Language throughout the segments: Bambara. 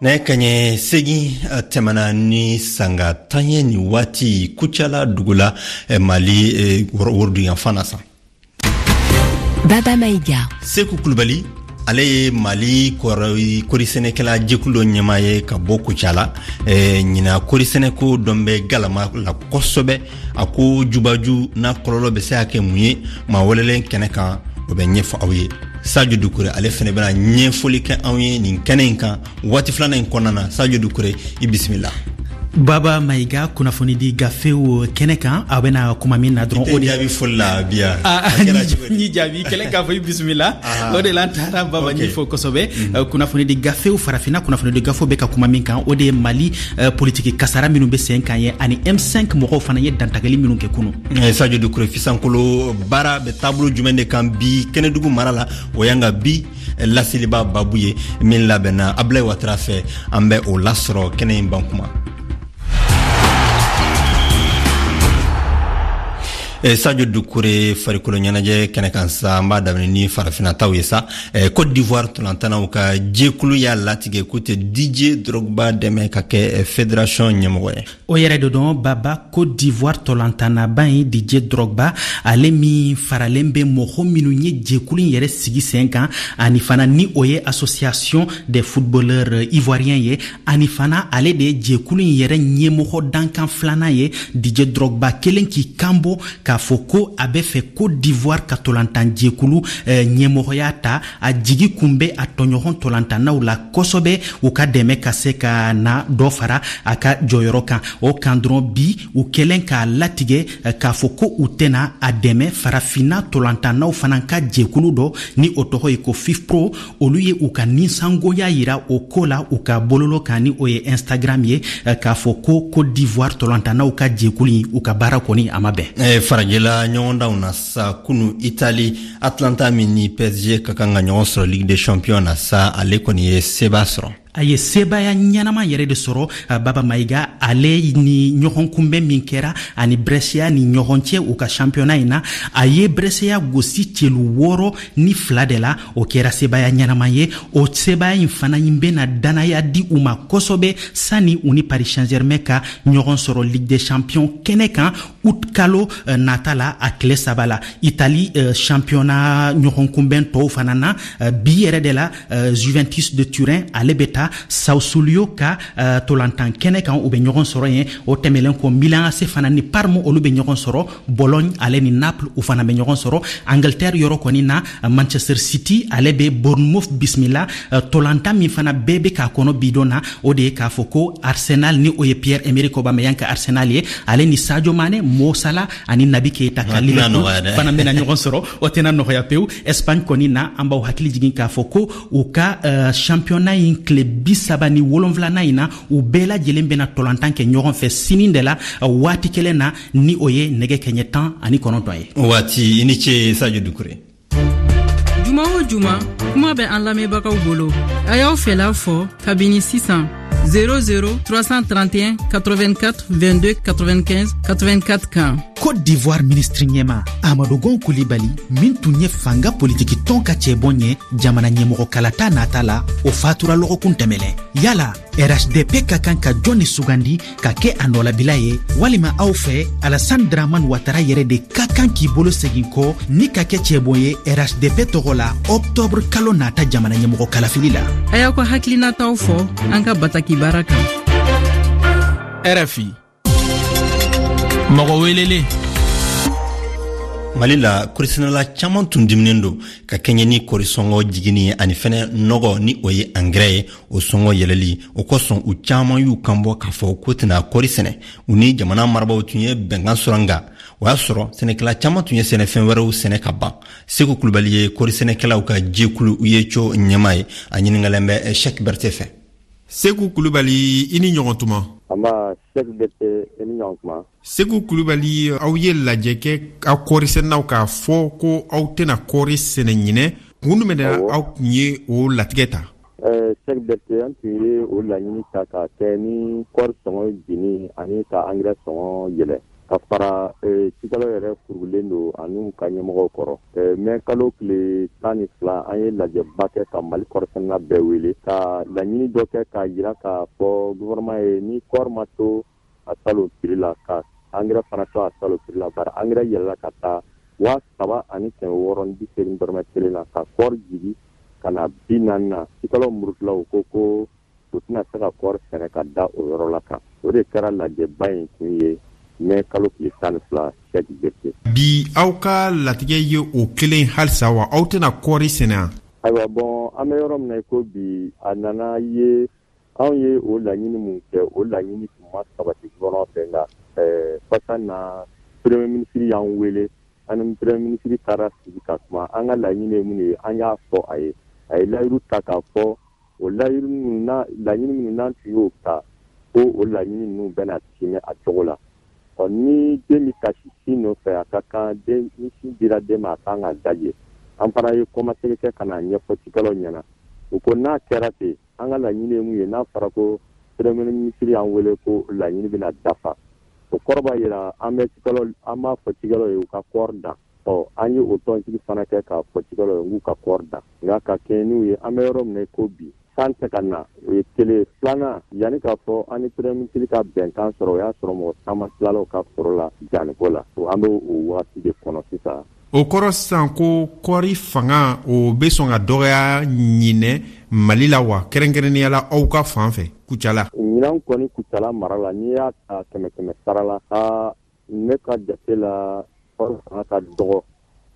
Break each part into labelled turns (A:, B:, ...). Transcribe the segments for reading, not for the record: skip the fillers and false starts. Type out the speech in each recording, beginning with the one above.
A: Nɛgɛ kaɲɛ 8 tɛmɛna ni sanga 10 ye nin waati Kucala dugu la, Mali woroduguyanfan na sa.
B: Baba Maïga.
A: Seku Kulubali, ale ye Mali kɔrisɛnɛkɛla jɛkulu dɔ ɲɛmaa ye ka bɔ Kucala. Ɲina kɔrisɛnɛko dɔn bɛ galama la kosɛbɛ. A ko jubaju n'a kɔlɔlɔ bɛ se ka kɛ mun ye, maa welelen kɛnɛ kan, o bɛ ɲɛfɔ aw ye. Sadio Dukure, ale fɛnɛ bɛna ɲɛfɔli kɛ anw ye nin kɛnɛ in kan waati filanan in kɔnɔna na. Sadio Dukure, i bisimila.
C: Baba Mayiga, kunnafonidi gafew kɛnɛ kan, aw bɛna kuma min na dɔrɔn,
A: o de jaabi foli la bi yan.
C: Ni jaabi kɛlɛ k'a fɔ i bisimila, o de la an taara Baba ɲɛfɔ kosɛbɛ. Kunnafonidi gafew, farafinna kunnafonidi gafew bɛ ka kuma min kan, o de ye Mali politiki kasara minnu bɛ sen kan ye, ani M5 mɔgɔw fana ye dantigɛli minnu kɛ kunu.
A: Sadio Dukure, Fisankolo baara bɛ taabolo jumɛn de kan bi Kɛnɛdugu mara la? O y'an ka bi laseliba babu ye min labɛnna Ablaye Watara fɛ. An bɛ o lasɔrɔ kɛnɛ in ban kuma. Sadio Dukure, farikolo ɲɛnajɛ kɛnɛ kan sa, an b'a daminɛ ni farafinna taw ye sa. Côte d'Ivoire ntolantanaw ka jɛkulu y'a latigɛ k'u tɛ Didier Drogba dɛmɛ ka kɛ fédération ɲɛmɔgɔ ye.
C: O yɛrɛ de dɔn Baba, Côte d'Ivoire tɔlantannaba ye Didier Drogba, ale min faralen bɛ mɔgɔ minnu ye jɛkulu in yɛrɛ sigi sen kan, ani fana ni o ye Association des footballeurs ivoiriens ye, ani fana ale de ye jɛkulu in yɛrɛ ɲɛmɔgɔ dankan filanan ye. Didier Drogba kelen k'i kan bɔ k'a fɔ ko a bɛ fɛ Côte d'Ivoire ka tɔlantan jɛkulu ɲɛmɔgɔya ta. A jigi kun bɛ a tɔɲɔgɔn tɔlantannaw la kosɛbɛ, u ka dɛmɛ ka se ka na dɔ fara a ka jɔyɔrɔ kan. O kan dɔrɔn bi, u kɛlen k'a latigɛ k'a fɔ ko u tɛna a dɛmɛ. Farafinna tɔlantannaw fana ka jɛkulu dɔ ni o tɔgɔ ye ko FIFPro, olu ye u ka ninsangoya yira o ko la u ka bololo kan, ni o ye Instagram ye, k'a fɔ ko Côte d'Ivoire tɔlantannaw ka jɛkulu in, u ka baara kɔni a ma bɛn.
A: Farajɛla ɲɔgɔndanw na sa, kunu Italie, Atlanta min ni PSG ka kan ka ɲɔgɔn sɔrɔ Ligue des Champions na sa, ale kɔni ye seba sɔrɔ.
C: A ye sebaya ɲɛnama yɛrɛ de sɔrɔ, Baba Mayiga. Ale ni ɲɔgɔn kunbɛn min kɛra ani Brescia ni ɲɔgɔn cɛ u ka championnat in na, a ye Brescia gosi celu 6-2 de la. O kɛra sebaya ɲɛnama ye. O sebaya in fana in bɛna danaya di u ma kosɛbɛ sani u ni Paris Saint-Germain ka ɲɔgɔn sɔrɔ Ligue des Champions kɛnɛ kan août kalo nata la, a tile 3 la. Italie championnat ɲɔgɔn kunbɛn tɔw fana na, bi yɛrɛ de la, Juventus de Turin ale bɛ taa Sassuolo ka tolantan kɛnɛ kan, u bɛ ɲɔgɔn sɔrɔ yen. O tɛmɛlen kɔ, Milan AC fana ni Parme, olu bɛ ɲɔgɔn sɔrɔ. Bologne ale ni Naples, u fana bɛ ɲɔgɔn sɔrɔ. Angleterre yɔrɔ kɔni na, Manchester City ale bɛ Bournemouth bisimila. Tolantan min fana bɛɛ bɛ k'a kɔnɔ bi don na, o de ye k'a fɔ ko Arsenal, ni o ye Pierre Emerick Aubameyang ka Arsenal ye, ale ni Sadio Mane, Mo Salah ani Naby Keita ka Liverpool fana bɛna ɲɔgɔn sɔrɔ. O tɛna nɔgɔya pewu. Espagne kɔni na, an b'aw hakili jigin k'a fɔ ko u ka championnat in tile 37nan in na, u bɛɛ lajɛlen bɛna tolantan kɛ ɲɔgɔn fɛ sini de la, waati kelen na, ni o ye nɛgɛ kɛɲɛ 19 ye.
A: Waati i ni ce, Sadio Dukure.
D: Juma o juma, kuma bɛ an lamɛnbagaw bolo. A y'aw fɛla fɔ kabini sisan 00 331 84 22 95 84 kan.
C: Côte d'Ivoire ministre ɲɛma Amadou Gon Coulibaly, min tun ye fanga politiki tɔn ka cɛbɔ ye jamana ɲɛmɔgɔ kalata nata la, o fatura lɔgɔkun tɛmɛlɛn. Yala RHDP ka kan ka jɔn ni sugandi ka kɛ a nɔlabila ye? Walima aw fɛ, Alassane Dramane Ouattara yɛrɛ de ka kan k'i bolo segin kɔ ni ka kɛ cɛbɔ ye RHDP tɔgɔ la octobre kalo nata jamana ɲɛmɔgɔ kalafili la?
D: A y'aw ka hakilinataw fɔ an ka bataki baara kan.
E: RFI mɔgɔ welelen.
A: Mali la, kɔrisɛnɛla caman tun diminen don ka kɛɲɛ ni kɔrisɔngɔ jiginni ye, ani fɛnɛ nɔgɔ, ni o ye angɛrɛ ye, o sɔngɔ yɛlɛli. O kosɔn, u caman y'u kanbɔ k'a fɔ k'u tɛna kɔri sɛnɛ. U ni jamana marabaw tun ye bɛnkan sɔrɔ, nka o y'a sɔrɔ sɛnɛkɛla caman tun ye sɛnɛfɛn wɛrɛw sɛnɛ ka ban. Segu Kulubali ye kɔrisɛnɛkɛlaw ka jɛkulu UYECO ɲɛmaa ye. A ɲiningalen bɛ Shɛk Bɛrɛte fɛ.
E: Segu Kulubali, i ni ɲɔgɔn tuma.
F: Anba, Shɛk Bɛrɛte, i ni ɲɔgɔn tuma.
E: Segu Kulubali, aw ye lajɛ kɛ aw kɔrisɛnɛnaw k'a fɔ ko aw tɛna kɔri sɛnɛ ɲinɛ. Kun jumɛn de aw tun ye o latigɛ ta?
F: Shɛk Bɛrɛte, an tun ye o laɲini ta k'a kɛ ni kɔri sɔngɔ jigin ani ka angɛrɛ sɔngɔ yɛlɛ. Ka fara cikɛlaw yɛrɛ furulen don an'u ka ɲɛmɔgɔw kɔrɔ. Mɛ kalo tile 12, an ye lajɛba kɛ ka Mali kɔɔrisɛnɛna bɛɛ wele ka laɲini dɔ kɛ k'a jira k'a fɔ gouvernement ye, ni kɔɔri ma to a salon prix la, ka angɛrɛ fana to a salon prix la, bari angɛrɛ yɛlɛla ka taa 3680 dɔrɔmɛ kelen na, ka kɔɔri jigi ka na 40 na. Cikɛlaw murutilaw ko u tɛna se ka kɔɔri sɛnɛ ka da o yɔrɔ la kan. O de kɛra lajɛba in kun ye mɛ kalo tile 12, Sɛki Berete.
E: Bi, aw ka latigɛ ye o kelen halisa wa? Aw tɛna kɔɔri sɛnɛ wa?
F: Ayiwa, bɔn, an bɛ yɔrɔ min na i ko bi, a nana ye anw ye o laɲini mun kɛ, o laɲini tun ma sabati gouvernement fɛ. Nka kɔsa na, premier ministre y'an wele, an ni premier ministre taara sigi ka kuma. An ka laɲini ye mun ye, an y'a fɔ a ye. A ye layiru ta k'a fɔ o layiru minnu na, laɲini minnu n'an tun y'o ta, ko o laɲini ninnu bɛna timɛ a cogo la. Ɔ, ni den bɛ kasi sin nɔfɛ, a ka kan den, ni sin dira den ma, a kan ka daje. An fana ye kɔmasegin kɛ ka na ɲɛfɔ cikɛlaw ɲɛna. U ko n'a kɛra ten, an ka laɲini ye mun ye, n'a fɔra ko premier ministre y'an wele ko laɲini bɛna dafa, o kɔrɔ b'a jira an bɛ cikɛlaw, an b'a fɔ cikɛlaw ye u ka kɔɔri dan. Ɔ, an ye o tɔnsigi fana kɛ k'a fɔ cikɛlaw ye k'u ka kɔɔri dan. Nka ka kɛɲɛ n'u ye, an bɛ yɔrɔ min na i ko bi, san tɛ ka na, o ye kelen. Filanan, yanni k'a fɔ an ni premier ministre ka bɛnkan sɔrɔ, o y'a sɔrɔ mɔgɔ caman tilala u ka foro la danniko la. An bɛ o wagati de kɔnɔ sisan.
E: O kɔrɔ sisan ko kɔɔri fanga, o bɛ sɔn ka dɔgɔya ɲinɛ Mali la wa, kɛrɛnkɛrɛnnenya la aw ka fan fɛ Kucala?
F: Ɲinan kɔni, Kucala mara la, n'i y'a ta kɛmɛ kɛmɛ sara la, aa, ne ka jate la, kɔɔri fanga ka dɔgɔ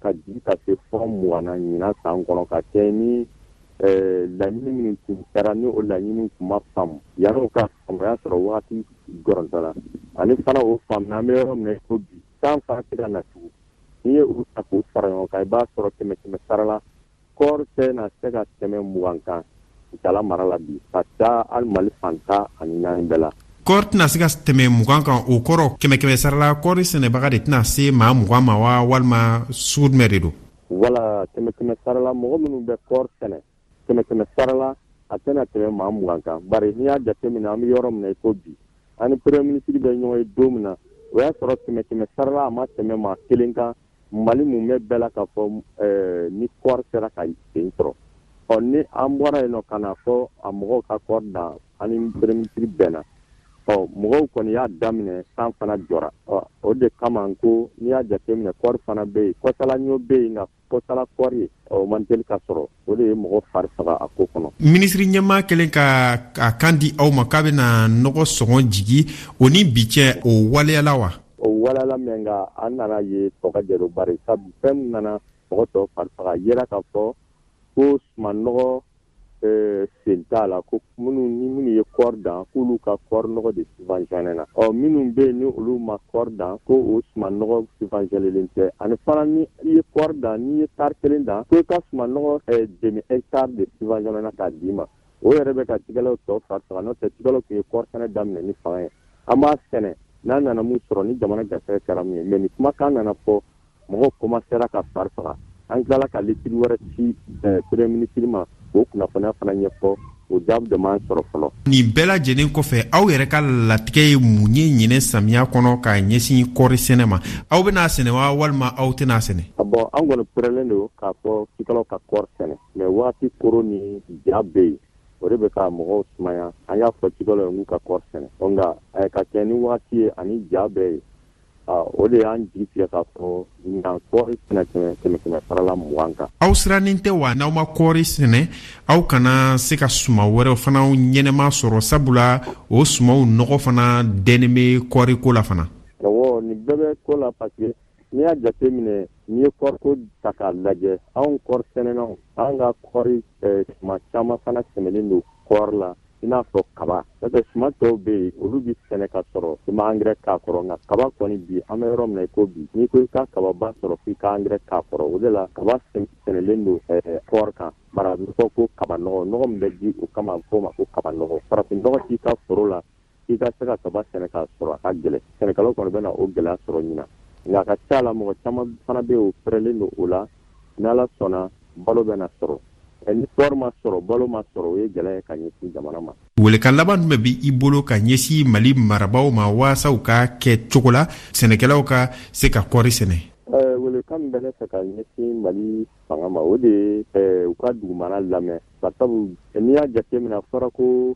F: ka jigin ka se fɔ 20 na ɲinan san kɔnɔ, ka kɛ ni laɲini minnu tun kɛra, ni o laɲini tun ma faamu. Yanni ka faamu, o y'a sɔrɔ wagati gɔrɔntɔla, ani fana o faamu, an bɛ yɔrɔ min na ko bi, san fana tɛ ka na tugun. N'i ye u ta k'u fara ɲɔgɔn kan, i b'a sɔrɔ kɛmɛ kɛmɛ sara la, kɔɔri tɛ na se ka tɛmɛ 20 kan Kucala mara la bi, ka taa hali Mali fan 14 bɛɛ la.
E: Kɔɔri tɛna se ka tɛmɛ 20 kan, o kɔrɔ kɛmɛ kɛmɛ sara la, kɔɔri sɛnɛbaga de tɛna se maa 20 ma wa, walima sugu jumɛn de don?
F: Wala, kɛmɛ kɛmɛ sara la, mɔgɔ minnu bɛ kɔɔri sɛnɛ, kɛmɛ kɛmɛ sara la, a tɛna tɛmɛ maa 20 kan. Bari n'i y'a jateminɛ, an bɛ yɔrɔ min na i ko bi, an ni premier ministre bɛ ɲɔgɔn ye don min na, o y'a sɔrɔ kɛmɛ kɛmɛ sara la, a ma tɛmɛ maa kelen kan Mali mun bɛ bɛɛ la k'a fɔ ni kɔɔri sera ka sen sɔrɔ. Ɔ, ni an bɔra yen nɔ ka na fɔ a mɔgɔw ka kɔɔri dan, an ni premier ministre bɛnna. Ɔ, mɔgɔw kɔni y'a daminɛ, san fana jɔra. Ɔ, o de kama ko n'i y'a jateminɛ, kɔɔri fana bɛ yen, kɔsala ɲɔ bɛ yen, nka kɔsala kɔɔri, o man teli ka sɔrɔ. O de ye mɔgɔ fari faga a ko kɔnɔ.
E: Minisiri ɲɛmaa kɛlen ka a kan di aw ma k'a bɛna nɔgɔ sɔngɔ jigi, o ni bi cɛ, o waleyala wa?
F: O waleyala mɛ, nka an nana ye tɔ ka jɛ, bari sabu fɛn min nana mɔgɔ tɔ fari faga yera k'a fɔ ko sumanɔgɔ sen t'a la, ko minnu ni minnu ye kɔɔri dan, k'olu ka kɔɔri nɔgɔ de subventionné na. Ɔ, minnu bɛ yen ni olu ma kɔɔri dan, ko o suman nɔgɔ subventionnélen tɛ. Ani fana, ni i ye kɔɔri dan, n'i ye tari kelen dan, ko i ka suman nɔgɔ demi hectare de subventionné na k'a d'i ma. O yɛrɛ bɛ ka cikɛlaw tɔ fari faga. N'o tɛ, cikɛlaw tun ye kɔɔri sɛnɛ daminɛ ni fanga ye, an b'a sɛnɛ, n'a nana mun sɔrɔ, ni jamana garisɛgɛ kɛra mun ye. Mais ni kumakan nana fɔ, mɔgɔw commencera ka fari faga. An tilala ka lettre wɛrɛ ci premier ministre ma k'o kunnafoniya fana ɲɛfɔ. O jaabi de m'an sɔrɔ fɔlɔ.
E: Nin bɛɛ lajɛlen kɔfɛ, aw yɛrɛ ka latigɛ ye mun ye ɲinɛ samiya kɔnɔ ka ɲɛsin kɔɔri sɛnɛ ma? Aw bɛna sɛnɛ wa, walima aw tɛna sɛnɛ?
F: Bɔn, an kɔni pɛrɛlen don k'a fɔ cikɛlaw ka kɔɔri sɛnɛ, mais waati koron ni ja bɛ yen, o de bɛ ka mɔgɔw sumaya. An y'a fɔ cikɛlaw ye k'u ka kɔɔri sɛnɛ, nka ka kɛ ni waati ye ani ja bɛ yen, o de y'an jigi tigɛ k'a fɔ ɲinan kɔɔri tɛna tɛmɛ kɛmɛ kɛmɛ sarala 20 kan.
E: Aw sirannen tɛ wa, n'aw ma kɔɔri sɛnɛ, aw kana se ka suma wɛrɛw fana ɲɛnɛma sɔrɔ, sabula o sumaw nɔgɔ fana dɛnnen bɛ kɔɔri ko la fana?
F: Awɔ, nin bɛɛ bɛ ko la, parce que n'i y'a jate minɛ, n'i ye kɔɔriko ta k'a lajɛ, anw kɔɔri sɛnɛnaw, an ka kɔɔri suma caman fana sɛmɛlen don kɔɔri la, i n'a fɔ kaba. N'o tɛ, suma tɔw bɛ yen, olu bɛ sɛnɛ ka sɔrɔ i ma angɛrɛ k'a kɔrɔ. Nka kaba kɔni, bi an bɛ yɔrɔ min na i ko bi, n'i ko i ka kababa sɔrɔ, f'i ka angɛrɛ k'a kɔrɔ. O de la kaba sɛnɛlen don kɔɔri kan. Bari a bɛ fɔ ko kaba nɔgɔ, nɔgɔ min bɛ di o kama, a bɛ fɔ o ma ko kaba nɔgɔ. Farafin nɔgɔ t'i ka foro la k'i ka se ka kaba sɛnɛ k'a sɔrɔ, a ka gɛlɛn. Sɛnɛkɛlaw kɔni bɛna o gɛlɛya sɔrɔ ɲinan, nka a ka ca la, mɔgɔ caman fana bɛ yen, o pɛrɛlen don o la. N'Ala sɔnna, balo bɛna sɔrɔ. Ni kɔɔri ma sɔrɔ, balo ma sɔrɔ, o ye gɛlɛya ye ka ɲɛsin jamana ma.
E: Welekan laban jumɛn bɛ i bolo ka ɲɛsin Mali marabaaw ma waasa u ka kɛ cogo la sɛnɛkɛlaw ka se ka kɔɔri sɛnɛ?
F: Welekan min bɛ ne fɛ ka ɲɛsin Mali fanga ma, o de ye u ka dugumana lamɛn, barisabu n'i y'a jateminɛ, a fɔra ko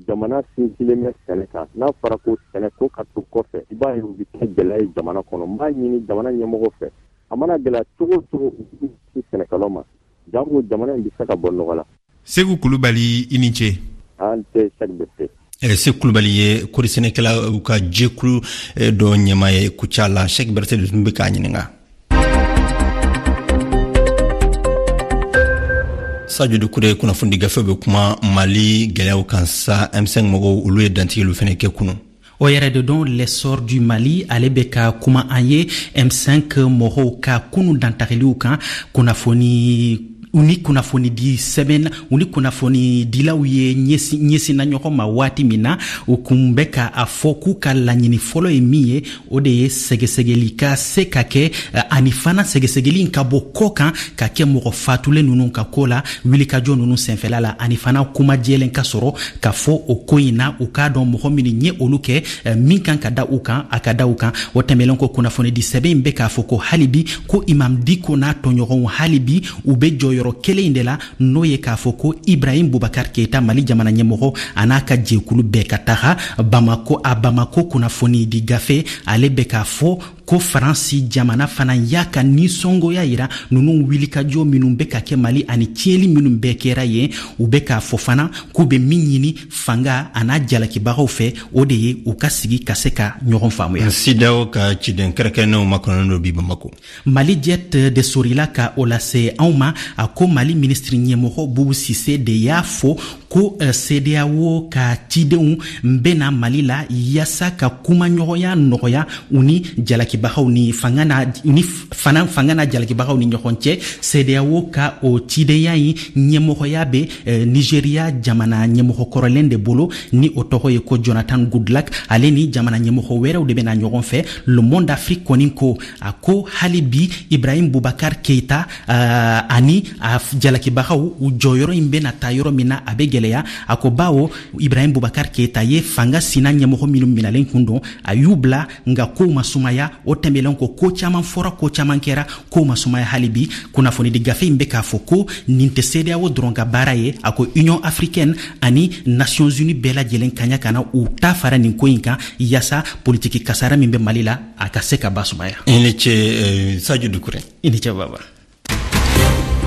F: jamana sinsinlen bɛ sɛnɛ kan. N'a fɔra ko sɛnɛ ko ka to kɔfɛ, i b'a ye o bɛ kɛ gɛlɛya ye jamana kɔnɔ. N b'a ɲini jamana ɲɛmɔgɔw fɛ, a mana gɛlɛya cogo o cogo, u k'u ɲɛsin sɛnɛkɛlaw ma, janko jamana in bɛ se ka bɔ nɔgɔ la.
E: Segu Kulubali, i ni ce.
F: An tɛ Sɛki Berete.
A: Segu Kulubali ye kɔɔrisɛnɛkɛlaw ka jɛkulu dɔ ɲɛmaa ye Kucala. Sɛki Berete de tun bɛ k'a ɲininka. Sajo Dukure, kunnafoni gafe bɛ kuma Mali gɛlɛyaw kan sa. M5 mɔgɔw, olu ye dantigɛliw fɛnɛ kɛ kunu.
C: O yɛrɛ de don, L'Essor du Mali, ale bɛ ka kuma an ye M5 mɔgɔw ka kunu dantagiliw kan. Kunnafoni u ni kunnafonidi sɛbɛn, u ni kunnafonidilaw ye ɲɛsinna ɲɔgɔn ma waati min na, u kun bɛ ka a fɔ k'u ka laɲini fɔlɔ ye min ye, o de ye sɛgɛsɛgɛli ka se ka kɛ, ani fana sɛgɛsɛgɛli ka bɔ kɔ kan ka kɛ mɔgɔ fatulen ninnu ka ko la wulikajɔ ninnu senfɛla la, ani fana kuma jɛlen ka sɔrɔ ka fɔ o ko in na, u k'a dɔn mɔgɔ minnu ye olu kɛ, min kan ka da u kan, a ka da u kan. O tɛmɛlen kɔ, kunnafonidi sɛbɛn in bɛ k'a fɔ ko hali bi ko Imam Diko n'a tɔɲɔgɔnw, hali bi u bɛ jɔyɔrɔ kelen in de la, n'o ye k'a fɔ ko Ibrahim Boubacar Keita, Mali jamana ɲɛmɔgɔ, a n'a ka jɛkulu bɛɛ ka taga Bamako. A Bamako kunnafoni di gafe, ale bɛ k'a fɔ ko Faransi jamana fana y'a ka nisɔngoya yira ninnu wulikajɔ minnu bɛ ka kɛ Mali ani tiɲɛli minnu bɛɛ kɛra yen. U bɛ k'a fɔ fana k'u bɛ min ɲini fanga a n'a jalakibagaw fɛ, o de ye u ka sigi ka se ka ɲɔgɔn faamuya.
A: CEDEAO ka ciden kɛrɛnkɛrɛnnenw makɔnɔnen don bi Bamako.
C: Mali Jet de sorila ka o lase anw ma. A ko Mali minisiri ɲɛmɔgɔ Bubu Sise de y'a fɔ ko CEDEAO ka cidenw bɛna Mali la yaasa ka kumaɲɔgɔnya nɔgɔya u ni jalakibagaw ni fanga na, u ni fana fanga na jalakibagaw ni ɲɔgɔn cɛ. CEDEAO ka o cidenya in ɲɛmɔgɔya bɛ Nigeria jamana ɲɛmɔgɔ kɔrɔlen de bolo, ni o tɔgɔ ye ko Jonathan Goodluck. Ale ni jamana ɲɛmɔgɔ wɛrɛw de bɛna ɲɔgɔn fɛ. Le Monde Afrique kɔni ko, a ko hali bi Ibrahim Boubacar Keita ani a jalakibagaw, u jɔyɔrɔ in bɛna taa yɔrɔ min na, a bɛ gɛlɛya. A ko bawo Ibrahim Boubacar Keita ye fanga sina ɲɛmɔgɔ minnu minalen kun don, a y'u bila, nka kow ma sumaya. O tɛmɛlen kɔ, ko caman fɔra, ko caman kɛra, kow ma sumaya hali bi. Kunnafonidi gafe in bɛ k'a fɔ ko nin tɛ CEDEAO dɔrɔn ka baara ye. A ko Union africaine ani Nations Unies bɛɛ lajɛlen kaɲa ka na u ta fara nin ko in kan, yaasa politiki kasara min bɛ Mali la, a ka se ka basumaya.
A: I ni ce, Sadio Dukure.
C: I ni ce, Baba.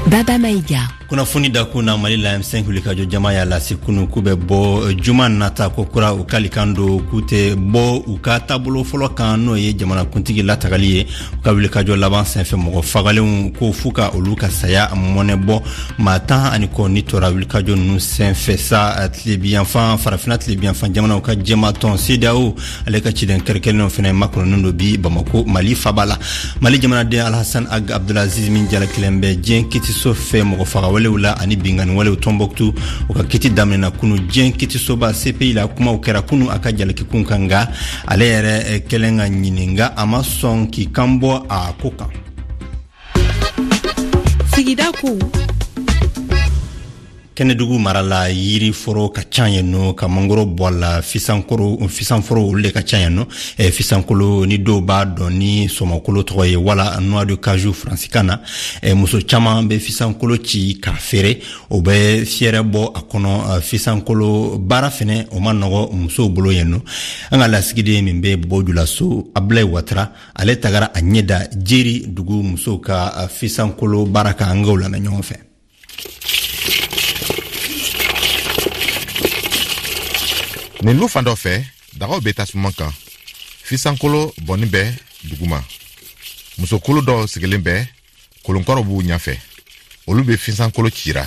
B: Baba Maïga.
A: Kunnafoni dakun na, Mali la, M5 wulikajɔ jama y'a lase kunu k'u bɛ bɔ juma nata ko kura. U kalikan don k'u tɛ bɔ u ka taabolo fɔlɔ kan, n'o ye jamanakuntigi latagali ye. U ka wulikajɔ laban senfɛ, mɔgɔ fagalenw ko f'u ka olu ka saya mɔnɛ bɔ. Maa 10 ni kɔ ni tora wulikajɔ ninnu senfɛ sa. Tilebiyanfan, Farafina tilebiyanfan jamanaw ka jɛmatɔn CEDEAO, ale ka ciden kɛrɛnkɛrɛnnenw fɛnɛ makɔnɔnen don bi Bamako, Mali faba la. Mali jamanaden Alhasan Ag Abdulaziz min jalakilen bɛ diɲɛ kitiso fɛ mɔgɔ fagawalew la ani binkanniwalew Tɔnbɔkutu, o ka kiti daminɛna kunu diɲɛ kitisoba CPI la. Kumaw kɛra kunu a ka jalakikun kan, nka ale yɛrɛ kɛlen ka ɲininga, a ma sɔn k'i kan bɔ a ko kan.
D: Sigida kow.
A: Kɛnɛdugu mara la, yiri foro ka ca yen nɔ, ka mangoro bɔ a la, fisankoro, fisanforo, olu de ka ca yen nɔ. Fisankolo ni dɔw b'a dɔn ni sɔmɔkolo tɔgɔ ye wala noix de cajou faransikan na. Muso caman bɛ fisankolo ci k'a feere, o bɛ fiyɛrɛ bɔ a kɔnɔ. Fisankolo baara fɛnɛ, o ma nɔgɔ musow bolo yen nɔ. An ka lasigiden min bɛ bɔ Julaso, Abulayi Watara, ale tagara a ɲɛ da Jeri dugu musow ka fisankolo baara kan. An k'o lamɛn ɲɔgɔn fɛ.
G: Nin lu fan dɔ fɛ, dagaw bɛ tasuma kan, fisankolo bɔnni bɛ duguma. Musokulu dɔw sigilen bɛ, kolonkɔrɔ b'u ɲɛfɛ, olu bɛ fisankolo cira.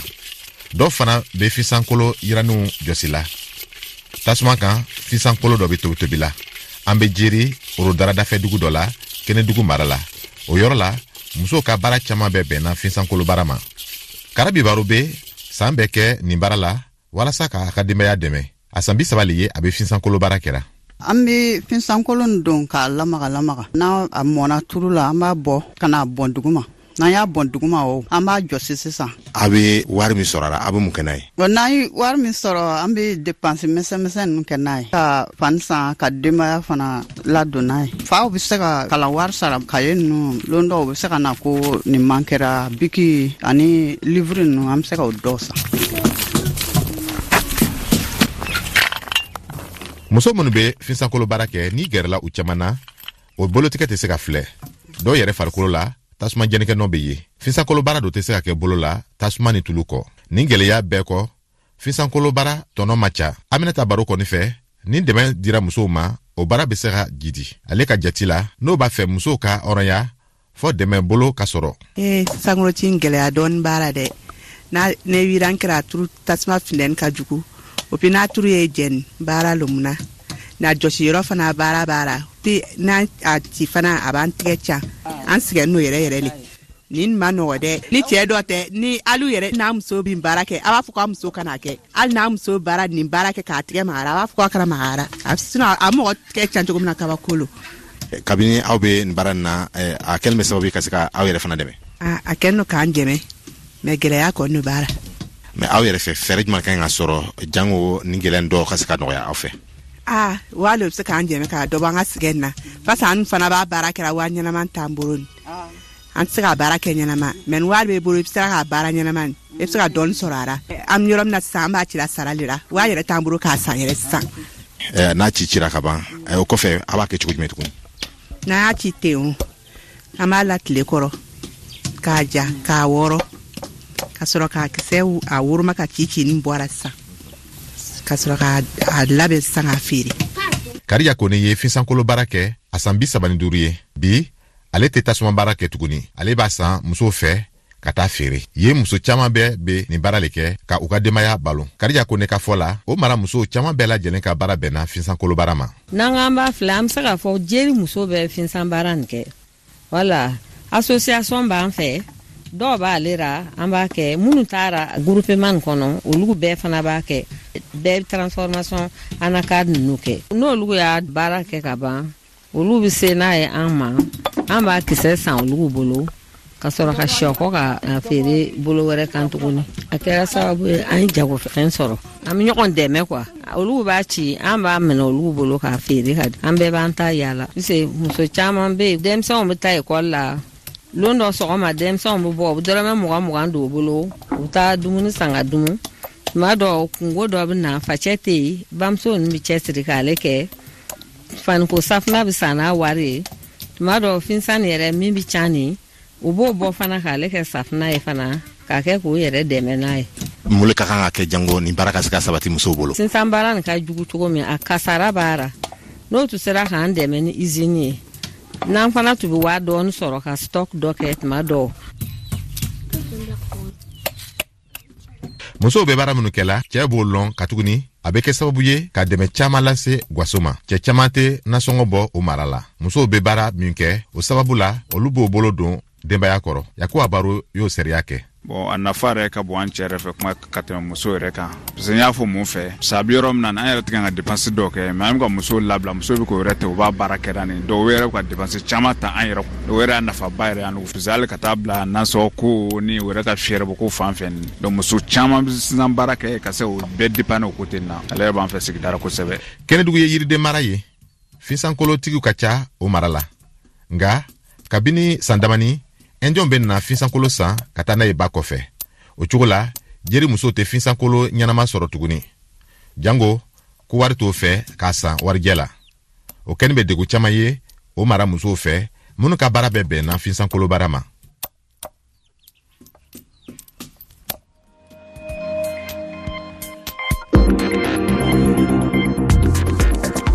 G: Dɔw fana bɛ fisankolo yiraninw jɔsi la tasuma kan. Fisankolo dɔ bɛ tobitobi la. An bɛ Jeri orodara dafɛ dugu dɔ la, Kɛnɛdugu mara la. O yɔrɔ la, musow ka baara caman bɛɛ bɛnna fisankolo baara ma. Karabi Baro bɛ san bɛɛ kɛ nin baara la walasa k'a ka denbaya dɛmɛ. A san 30 le ye a bɛ fisankolo baara kɛra.
H: An bɛ fisankolo don k'a lamaga lamaga. N'a a mɔna turu la, an b'a bɔ ka n'a bɔn duguma. N'an y'a bɔn duguma, o an b'a jɔsi sisan.
G: A bɛ wari min sɔrɔ a la, a bɛ mun kɛ n'a ye?
H: Bon, n'an ye wari min sɔrɔ, an bɛ dépense misɛn misɛn ninnu kɛ n'a ye, ka fani san, ka denbaya fana ladon n'a ye. Faw bɛ se ka kalan wari sara, kaye ninnu, lon dɔw bɛ se ka na ko nin man kɛra, biki ani livre ninnu, an bɛ se ka o dɔw san.
G: Muso minnu bɛ finsankolo baara kɛ, n'i gɛrɛla u caman na, o bolotigɛ tɛ se ka filɛ. Dɔw yɛrɛ farikolo la, tasuma jɛnikɛ nɔ bɛ ye. Finsankolo baara dɔ tɛ se ka kɛ bolo la tasuma ni tulu kɔ. Nin gwɛlɛya bɛɛ kɔ, finsankolo baara tɔnɔ ma ca. Aminata Baro kɔni fɛ, ni dɛmɛ dira musow ma, o baara bɛ se ka jidi. Ale ka jati la, n'o b'a fɛ musow ka hɔrɔnya, fɔ dɛmɛ bolo ka sɔrɔ.
I: Ee, sankoloci gɛlɛya dɔɔni b'a la dɛ. N'a ne wiran kɛra turu, tasuma funteni ka jugu o puis n'a turu ye jɛni baara lo mun na na jɔsi yɔrɔ fana baara b'a la, puis n'a a ci fana, a b'an tigɛ ca, an sɛgɛn n'o yɛrɛ yɛrɛ le. Nin ma nɔgɔ dɛ. Ni cɛɛ dɔ tɛ, ni alu yɛrɛ n'a muso bin baara kɛ, a b'a fɔ k'a muso kana kɛ. Hali n'a muso baara nin baara kɛ k'a tigɛ magara, a b'a fɔ k'a kana magara. A sinon a mɔgɔ tigɛ can cogo min na, kabako lo.
G: Kabini aw bɛ nin baara nin na, a kɛlen bɛ sababu ye ka se ka aw yɛrɛ fana dɛmɛ?
I: A kɛlen no k'an dɛmɛ, mais gɛlɛya kɔni b'a la.
G: Mais aw yɛrɛ fɛ, fɛɛrɛ jumɛn ka ɲi ka sɔrɔ jango nin gɛlɛya dɔw ka se ka nɔgɔya aw fɛ?
I: Aa, waa le bɛ se k'an dɛmɛ ka dɔ bɔ an ka sɛgɛn na, parce que an fana b'a baara kɛra, waa ɲɛnama t'an bolo. Ni an tɛ se ka baara kɛ ɲɛnama, mais ni wari b'e bolo, i bɛ se k'a baara ɲɛnama, i bɛ se ka dɔɔni sɔrɔ a la. An bɛ yɔrɔ min na sisan, an b'a cira sara de la, waa yɛrɛ t'an bolo k'a san yɛrɛ sisan.
G: N'a ci cira ka ban, o kɔfɛ a b'a kɛ cogo jumɛn tuguni?
I: N'an y'a ci ten, o an b'a la tile kɔrɔ k'a ja, k'a wɔrɔ, ka sɔrɔ k'a kisɛ a woroma ka ci ci ni bɔra sisan, ka sɔrɔ k'a labɛn sisan k'a feere.
G: Kariya Kone ye finsankolo baara kɛ a san 35 ye bi. Ale tɛ tasuma baara kɛ tuguni, ale b'a san musow fɛ ka taa feere. Yen muso caaman bɛɛ be nin baara le kɛ ka u ka denbaya balo. Karija Kone ka fɔ la, o mara musow caaman bɛɛ lajɛlen ka baara bɛnna finsankolo baara ma.
J: N'an k'an b'a filɛ, an be se k'a fɔ jeri muso bɛ finsan baara nin kɛ. Wala association b'an fɛ, dɔw b'ale ra, an b'a kɛ. Minnu taara groupement nin kɔnɔ, olu bɛɛ fana b'a kɛ, bɛɛ transformation anacarde ninnu kɛ. N'olu y'a baara kɛ ka ban, olu bɛ se n'a ye an ma, an b'a kisɛ san olu bolo ka sɔrɔ ka sɔkɔ ka a feere bolo wɛrɛ kan tuguni. A kɛra sababu ye an ye jagofɛn sɔrɔ, an bɛ ɲɔgɔn dɛmɛ quoi. Olu b'a ci, an b'a minɛ olu bolo k'a feere ka di, an bɛɛ b'an ta yaala. Parce muso caman bɛ yen, denmisɛnw bɛ taa ekɔli la. Lon dɔ sɔgɔma, denmisɛnw bɛ bɔ, u bɛ dɔrɔmɛ 20 20 don u bolo, u bɛ taa dumuni san ka dumu. Tuma dɔ kungo dɔ bɛ na, facɛ tɛ yen, bamuso ninnu bɛ cɛsiri k'ale kɛ. Faniko safunɛ bɛ san n'a wari ye. Tuma dɔ finsan yɛrɛ min bɛ can nin, u b'o bɔ fana k'ale kɛ safunɛ ye fana, k'a kɛ k'u yɛrɛ dɛmɛ n'a ye.
G: Mun le ka kan ka kɛ jango nin baara ka se ka sabati musow bolo?
J: Sisan baara nin ka jugu cogo min, a kasara b'a ra. N'o tun sera k'an dɛmɛ ni usine ye, n'an fana tun bɛ waa dɔɔni sɔrɔ ka stock dɔ kɛ tuma dɔw.
G: Musow bɛ baara minnu kɛla, cɛɛ b'o lɔn, katuguni a bɛ kɛ sababu ye ka dɛmɛ caaman lase gwaso ma. Cɛɛ caaman tɛ nasɔngɔ bɔ o mara la. Musow bɛ baara min kɛ, o sababu la olu b'o bolo don denbaya kɔrɔ. Yakuba Baro y'o sariya kɛ.
K: Bon, a nafa yɛrɛ ka bon an cɛ yɛrɛ fɛ kuma ka tɛmɛ muso yɛrɛ kan, parce que n y'a fɔ mun fɛ, parce que a bɛ yɔrɔ min na, an yɛrɛ tɛ kan ka dépense dɔw kɛ, mais an bɛ ka muso labila, muso bɛ k'o yɛrɛ ta, u b'a baara kɛ nin dɔw yɛrɛ bɛ ka dépense caman ta an yɛrɛ. O yɛrɛ y'a nafaba yɛrɛ y'an, parce que hali ka taa bila nasɔngɔ ko ni o yɛrɛ ka fiyɛrɛ bɔ ko fan fɛ nin. Donc muso caman bɛ sisan baara kɛ ka se o bɛɛ dépanner o côté na. Ale yɛrɛ b'an fɛ sigida la kosɛbɛ.
G: Kɛnɛdugu ye yiriden mara ye, finsankolotigiw ka ca o mara la. Nga kabini san damani, ɛnjɔn bɛ na finsankolo san ka taa n'a ye ba kɔfɛ. O cogo la, jeri musow tɛ finsankolo ɲɛnama sɔrɔ tuguni, jango ko wari t'o fɛ k'a san warijɛ la. O kɛni bɛ degu caman ye o mara musow fɛ minnu ka baara bɛɛ bɛnna finsankolo baara ma.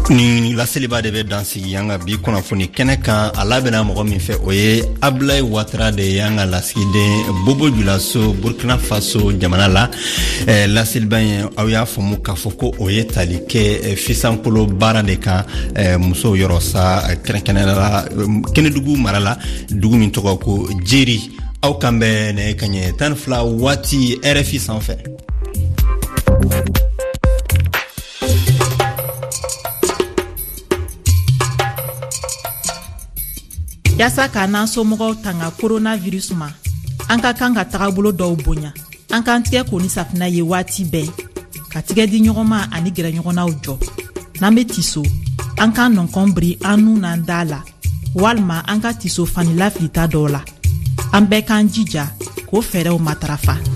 A: Nin laseliba de bɛ dansigi an ka bi kunnafoni kɛnɛ kan. A labɛnna mɔgɔ min fɛ, o ye Abulayi Watara de ye, an ka lasigiden Bobo Julaso, Burkina Faso jamana la. Laseliba in, aw y'a faamu k'a fɔ ko o ye tali kɛ fisankolo baara de kan musow yɔrɔ sa, kɛrɛnkɛrɛnnenya la Kɛnɛdugu mara la, dugu min tɔgɔ ko Jeri. Aw kan bɛ nɛgɛ kaɲɛ 12 waati RFI sanfɛ.
L: Yaasa k'a n'an somɔgɔw tanga coronavirus ma. An ka kan ka tagabolo dɔw bonya. An k'an tigɛ ko ni safinɛ ye waati bɛɛ, ka tigɛ di ɲɔgɔn ma ani gɛrɛ ɲɔgɔnnaw jɔ. N'an be tiso, an k'an nɔnkɔn biri an nun n'an da la, walima an ka tiso fani lafilita dɔw la. An bɛɛ k'an jija k'o fɛɛrɛw matarafa.